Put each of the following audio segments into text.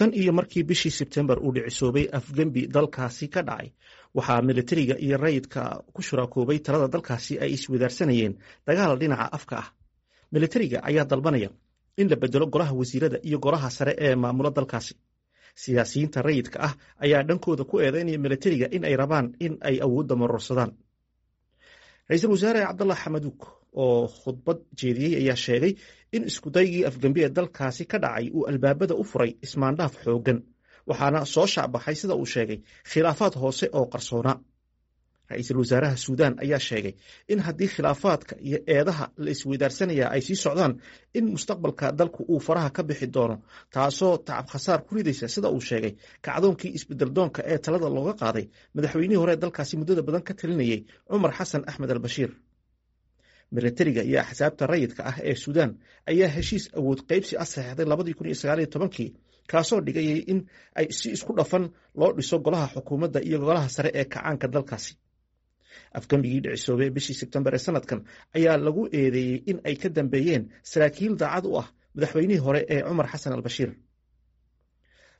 Tan iyo markii bishii Sebtembar uu dhicisoobay afgembi dalkaasi ka dhacay, waxaa militariga iyo rayidka ku shuraakoobay talada dalkaasi ay iswadaarsanayeen dagaal dhinaca afka ah. Militariga ayaa dalbanaya in la bedelo golaha wasiirada iyo golaha sare ee maamula dalkaasi. Siyaasiyiinta rayidka ah ayaa dhankooda ku eedeynaya militariga in ay rabaan in ay awoodda marorsadaan. Ra-iisul wasaare Cabdallah Xamaduug oo khudbad jeediyey ayaa sheegay in iskudaygii afgembi ee dalkaasi ka dhacay uu albaabada u furay ismaandhaaf xooggan, waxaana soo shaacbaxay, sida uu sheegay, khilaafaad hoose oo qarsoona. Ra-iisul wasaaraha Suudaan ayaa sheegay in haddii khilaafaadka iyo eedaha la isweydaarsanaya ay sii socdaan, in mustaqbalka dalku uu faraha ka bixi doono, taasoo tacab khasaar ku ridaysa, sida uu sheegay, kacdoonkii isbedeldoonka ee talada looga qaaday madaxweynihii hore dalkaasi muddada badan ka talinayay, Cumar Xasan Axmed al Bashiir. Militariga iyo axsaabta rayidka ah ee Suudaan ayaa heshiis awood qaybsi ah saxeexday 2019-kii, kaasoo dhigayay in ay si isku dhafan loo dhiso golaha xukuumadda iyo golaha sare ee kacaanka dalkaasi. Afgembigii dhicisoobay bishii Sebtembar ee sanadkan ayaa lagu eedeeyey in ay ka dambeeyeen saraakiil daacad u ah madaxweynihii hore ee Cumar Xasan al Bashiir.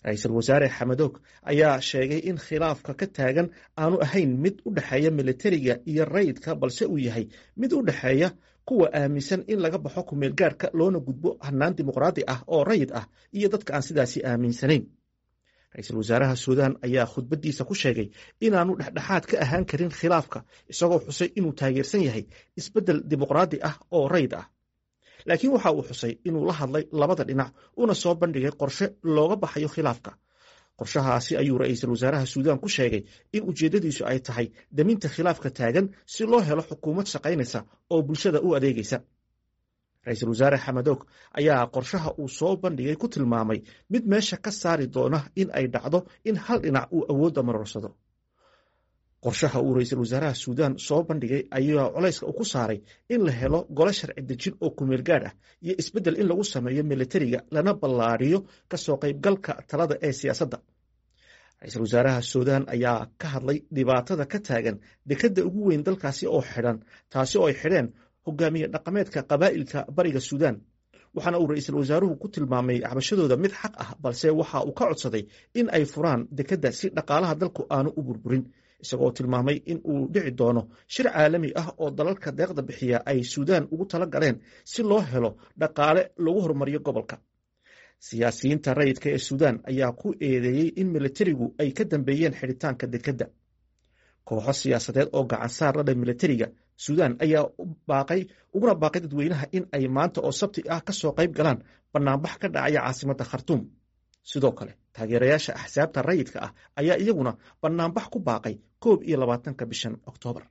Ra-iisul wasaare Xamadoog ayaa sheegay in khilaafka ka taagan aanu ahayn mid u dhexeeya militariga iyo rayidka, balse uu yahay mid u dhexeeya kuwa aaminsan in laga baxo kumeelgaarka loona gudbo hanaan dimuqraadi ah oo rayid ah iyo dadka aan sidaasi aaminsanayn. Ra-iisul wasaaraha Suudaan ayaa khudbaddiisa ku sheegay inaanu dhexdhexaad ka ahaan karin khilaafka, isagoo xusay inuu taageersan yahay isbeddel dimuqraadi ah oo rayid ah, laakiin waxa uu xusay inuu la hadlay labada dhinac una soo bandhigay qorshe looga baxayo khilaafka. Qorshahaasi ayuu ra-iisul wasaaraha Suudaan ku sheegay in ujeeddadiisu ay tahay daminta khilaafka taagan si loo helo xukuumad shaqaynaysa oo bulshada u adeegaysa. Ra-iisul wasaare Xamadoog ayaa qorshaha uu soo bandhigay ku tilmaamay mid meesha ka saari doona in ay dhacdo in hal dhinac uu awoodda marorsado. Qorshaha uu ra-iisul wasaaraha Suudaan soo bandhigay ayaa culayska ku saaray in la helo gole sharci dejin oo kumeel gaadh ah iyo isbeddel in lagu sameeyo militariga, lana ballaariyo kasoo qaybgalka talada ee siyaasadda. Ra-iisul wasaaraha Suudaan ayaa ka hadlay dhibaatada ka taagan dekedda ugu weyn dalkaasi oo xidhan, taasi oo ay xidheen hogaamiye dhaqameedka qabaa'ilka bariga Suudaan, waxaana uu ra-iisul wasaaruhu ku tilmaamay cabashadooda mid xaq ah, balse waxa uu ka codsaday in ay furaan dekedda si dhaqaalaha dalku aanu u burburin, isagoo tilmaamay in uu dhici doono shir caalami ah oo dalalka deeqda bixiya ay Suudaan ugu tala galeen si loo helo dhaqaale lagu horumariyo gobolka. Siyaasiyiinta rayidka ee Suudaan ayaa ku eedeeyey in militarigu ay ka dambeeyeen xidhitaanka dekedda. Kooxo siyaasadeed oo gacansaar la leh militariga Suudaan ayaa baaqay uguna baaqay dadweynaha in ay maanta oo Sabti ah ka soo qayb galaan banaanbax ka dhacaya caasimadda Khartuum. Sidoo kale taageerayaasha axsaabta rayidka ah ayaa iyaguna banaanbax ku baaqay 21-ka bishan Oktoobar.